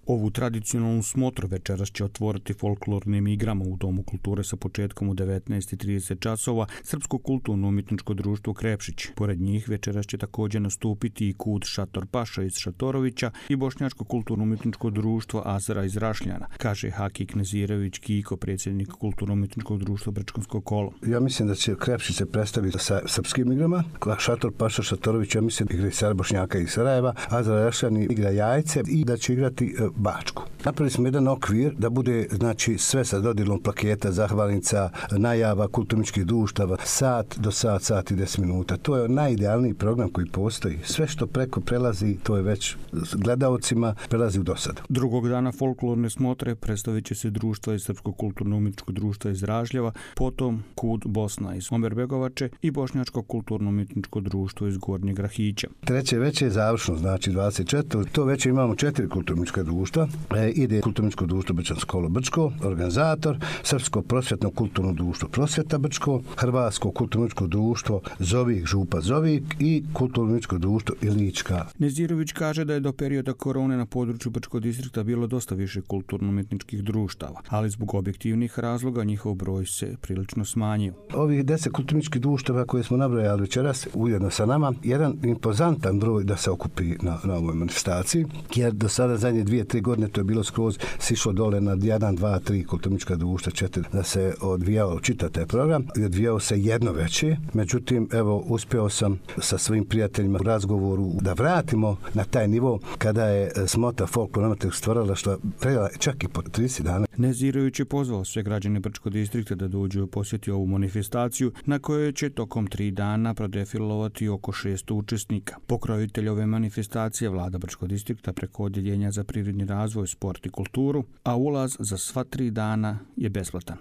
Ovu tradicionalnu smotru večeras će otvoriti folklornim igrama u Domu kulture sa početkom u 19:30 časova Srpsko kulturno-umjetničko društvo Krepšić. Pored njih večeras će također nastupiti i KUD Šator Paša iz Šatorovića i Bošnjačko kulturno-umjetničko društvo Azra iz Rašljana, kaže Hakik Nezirević Kiko, predsjednik Kulturno-umjetničkog društva Brčkansko kolo. Ja mislim da će Krepšić se predstaviti sa srpskim igrama, Šator Paša Šatorović, ja mislim igra i Bošnjaka iz Sarajeva, Azra Rašljani igra Jajce i da će igrati Bačku. Napravili smo jedan okvir da bude, znači, sve sa dodjelom plaketa, zahvalnica, najava kulturničkih društava, sat do sat i 10 minuta. To je najidealniji program koji postoji. Sve što preko prelazi, to je već gledaocima prelazi u dosadu. Drugog dana folklorne smotre predstavit će se društva iz Srpskog kulturno-umjetničkog društva iz Ražljeva, potom KUD Bosna iz Omerbegovače i Bošnjačko kulturno-umjetničko društvo iz Gornjeg Rahića. Treće veće je završno, znači 24. To veće imamo 4 kulturnička društva. Ide Kulturničko društvo Brčansko kolo Brčko, organizator, Srpsko prosvjetno kulturno društvo Prosvjeta Brčko, Hrvatsko kulturničko društvo Zovik Župa Zovik i Kulturničko društvo Ilička. Nezirović kaže da je do perioda korone na području Brčkog distrikta bilo dosta više kulturno-umjetničkih društava, ali zbog objektivnih razloga njihov broj se prilično smanjio. Ovih 10 kulturničkih društava koje smo nabrojali večeras ujedno sa nama, jedan impozantan broj da se okupi na ovoj manifestaciji, jer do sada zadnje 2-3 godine to je bilo skroz sišlo dole na 1, 2, 3 kulturnička društva, 4, da se odvijao čitav taj program i odvijao se jedno veće. Međutim, evo, uspio sam sa svojim prijateljima u razgovoru da vratimo na taj nivo kada je smota folklornog stvaralaštva trajala čak i po 30 dana. Nezirović je pozvao sve građane Brčkog distrikta da dođu posjetiti ovu manifestaciju na kojoj će tokom 3 dana prodefilovati oko 600 učesnika. Pokrovitelj ove manifestacije vlada Brčkog distrikta preko Odjeljenja za privredni razvoj, sport i kulturu, a ulaz za sva 3 dana je besplatan.